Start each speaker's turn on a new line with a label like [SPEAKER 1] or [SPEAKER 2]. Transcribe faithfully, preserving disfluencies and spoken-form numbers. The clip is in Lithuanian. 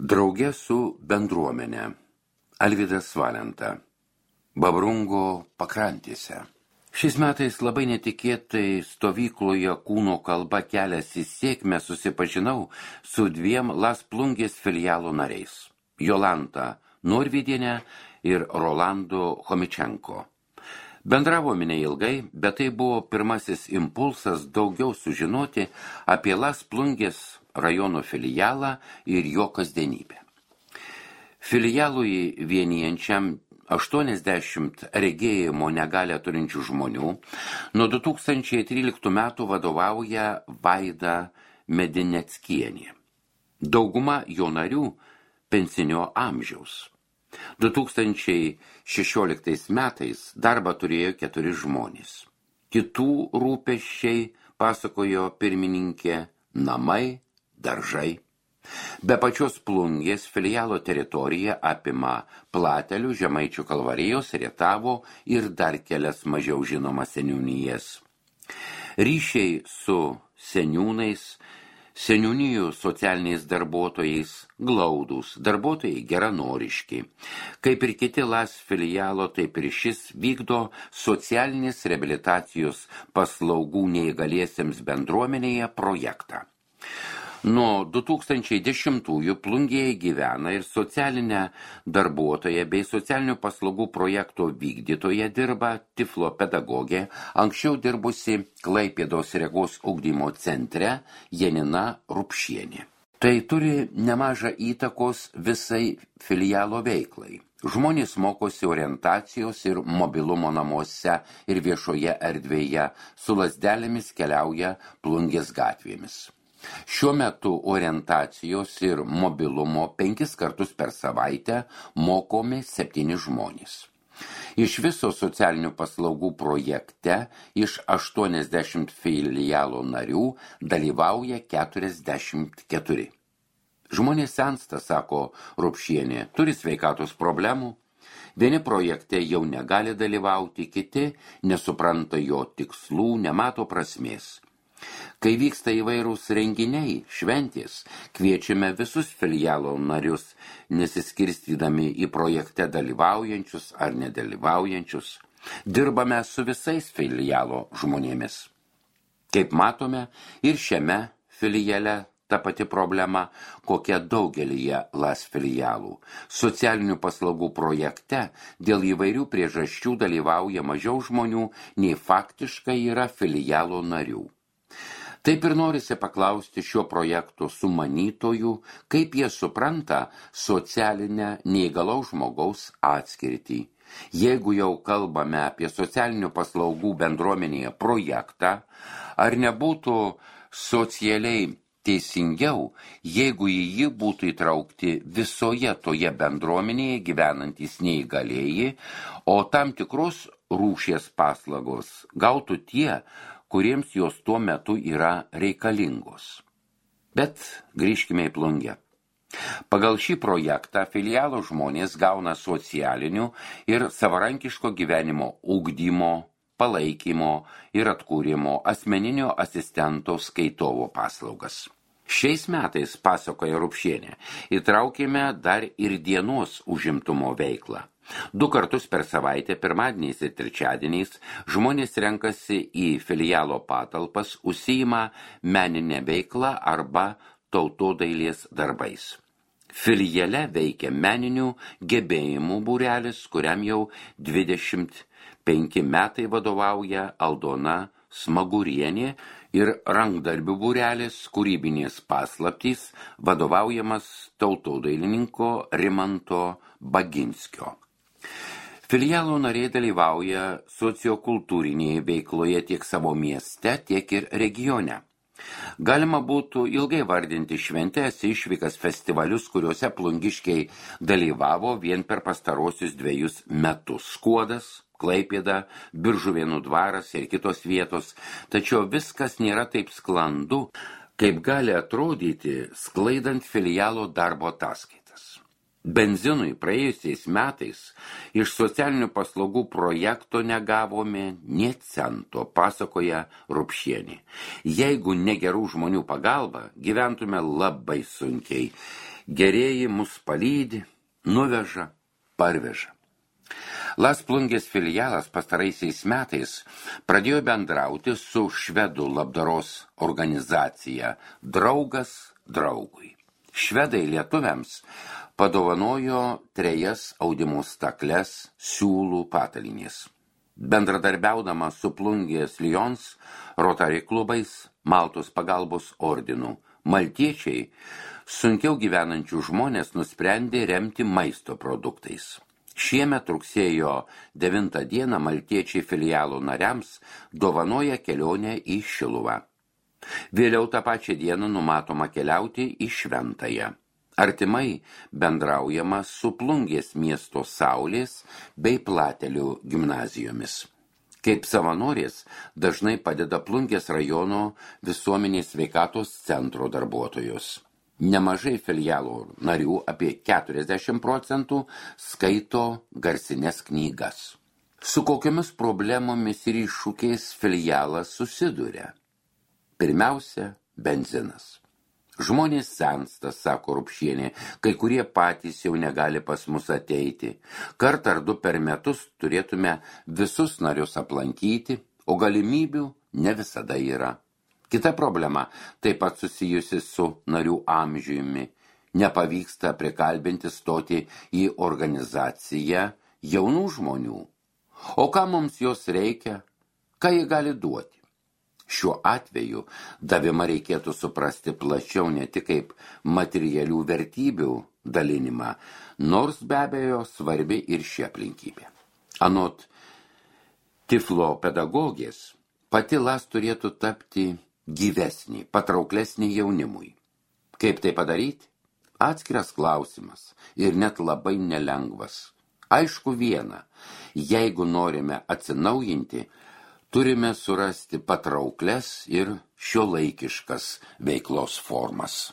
[SPEAKER 1] Drauge su bendruomenė. Alvydas Valenta. Babrungo pakrantėse. Šiais metais labai netikėtai stovykloje Kūno kalba kelias į sėkmę susipažinau su dviem Las Plungės filialo nariais – Jolanta Norvidienė ir Rolando Chomičenko. Bendravome neilgai, bet tai buvo pirmasis impulsas daugiau sužinoti apie Las Plungės rajono filialą ir jo kasdienybę. Filialui vienijančiam aštuoniasdešimt regėjimo negalią turinčių žmonių nuo du tūkstančiai tryliktų metų vadovauja Vaida Medineckienė. Dauguma jo narių pensinio amžiaus. du tūkstančiai šešioliktais metais darbą turėjo keturi žmonės. Kitų rūpesčiai, pasakojo pirmininkė, namai, daržai. Be pačios Plungės filialo teritorija apima Platelių, Žemaičių Kalvarijos, Rietavo ir dar kelias mažiau žinomas seniūnijas. Ryšiai su seniūnais, seniūnijų socialiniais darbuotojais glaudūs, darbuotojai geranoriški. Kaip ir kiti Las filialo, taip ir šis vykdo socialinės reabilitacijos paslaugų neįgaliesiems bendruomenėje projektą. Nuo du tūkstančiai dešimtųjų Plungėje gyvena ir socialinė darbuotoja bei socialinių paslaugų projekto vykdytoja dirba Tiflo pedagogė, anksčiau dirbusi Klaipėdos regos ugdymo centre Janina Rupšienė. Tai turi nemažą įtakos visai filialo veiklai. Žmonės mokosi orientacijos ir mobilumo namuose ir viešoje erdvėje, su lazdelėmis keliauja Plungės gatvėmis. Šiuo metu orientacijos ir mobilumo penkis kartus per savaitę mokomi septyni žmonės. Iš viso socialinių paslaugų projekte iš aštuoniasdešimt filialo narių dalyvauja keturiasdešimt keturi. Žmonės sensta, sako Rupšienė, turi sveikatos problemų. Vieni projekte jau negali dalyvauti, kiti nesupranta jo tikslų, nemato prasmės. Kai vyksta įvairūs renginiai, šventės, kviečiame visus filialo narius, nesiskirstydami į projekte dalyvaujančius ar nedalyvaujančius. Dirbame su visais filialo žmonėmis. Kaip matome, ir šiame filiale ta pati problema, kokia daugelyje Las filialų. Socialinių paslaugų projekte dėl įvairių priežasčių dalyvauja mažiau žmonių, nei faktiškai yra filialo narių. Taip ir norisi paklausti šio projekto sumanytojų, kaip jie supranta socialinę neįgalaus žmogaus atskirtį. Jeigu jau kalbame apie socialinių paslaugų bendruomenėje projektą, ar nebūtų socialiai teisingiau, jeigu į jį būtų įtraukti visoje toje bendruomenėje gyvenantys neįgalieji, o tam tikros rūšies paslaugos gautų tie, kuriems jos tuo metu yra reikalingos. Bet grįžkime į Plungę. Pagal šį projektą filialo žmonės gauna socialinių ir savarankiško gyvenimo ugdymo, palaikymo ir atkūrimo asmeninio asistento skaitovo paslaugas. Šiais metais, pasakoja Rupšienė, įtraukėme dar ir dienos užimtumo veiklą. Du kartus per savaitę, pirmadieniais ir trečiadieniais, žmonės renkasi į filialo patalpas, užsiima meninę veiklą arba tautodailės darbais. Filiale veikia meninių gebėjimų būrelis, kuriam jau dvidešimt penki metai vadovauja Aldona Smagurienė, ir rankdarbių būrelis kūrybinės paslaptys vadovaujamas tautodailininko Rimanto Baginskio. Filialo nariai dalyvauja sociokultūrinėje veikloje tiek savo mieste, tiek ir regione. Galima būtų ilgai vardinti šventės, išvykas, festivalius, kuriuose plungiškiai dalyvavo vien per pastarosius dviejus metus. Skuodas, Klaipėda, Biržuvėnų dvaras ir kitos vietos, tačiau viskas nėra taip sklandu, kaip gali atrodyti, sklaidant filialo darbo ataskaitas. Benzinui praėjusiais metais iš socialinių paslaugų projekto negavome nė cento, pasakoja Rupšienė. Jeigu ne gerų žmonių pagalba, gyventume labai sunkiai. Gerieji mus palydi, nuveža, parveža. Las Plungės filialas pastaraisiais metais pradėjo bendrauti su švedų labdaros organizacija Draugas draugui. Švedai lietuviams padovanojo trejas audimo stakles siūlų patalinės. Bendradarbiaudama su Plungės Lions, Rotary klubais, Maltos pagalbos ordinu, maltiečiai sunkiau gyvenančių žmonės nusprendė remti maisto produktais. Šiemet rugsėjo devintą dieną maltiečiai filialo nariams dovanoja kelionę į Šiluvą. Vėliau tą pačią dieną numatoma keliauti į Šventąją. Artimai bendraujama su Plungės miesto Saulės bei Platelių gimnazijomis. Kaip savanorės dažnai padeda Plungės rajono visuomenės sveikatos centro darbuotojos. Nemažai filialo narių, apie keturiasdešimt procentų, skaito garsines knygas. Su kokiamis problemomis ir iššūkiais filialas susiduria? Pirmiausia, benzinas. Žmonės sensta, sako Rupšienė, kai kurie patys jau negali pas mus ateiti. Kartą ar du per metus turėtume visus narius aplankyti, o galimybių ne visada yra. Kita problema taip pat susijusi su narių amžiumi. Nepavyksta prikalbinti stoti į organizaciją jaunų žmonių. O ką mums jos reikia? Ką jie gali duoti? Šiuo atveju davimą reikėtų suprasti plačiau ne tik kaip materialių vertybių dalinimą, nors be abejo svarbi ir ši aplinkybė. Anot Tiflo pedagogės, pati Las turėtų tapti gyvesnį, patrauklesnį jaunimui. Kaip tai padaryti? Atskiras klausimas ir net labai nelengvas. Aišku viena, jeigu norime atsinaujinti, turime surasti patraukles ir šiuolaikiškas veiklos formas.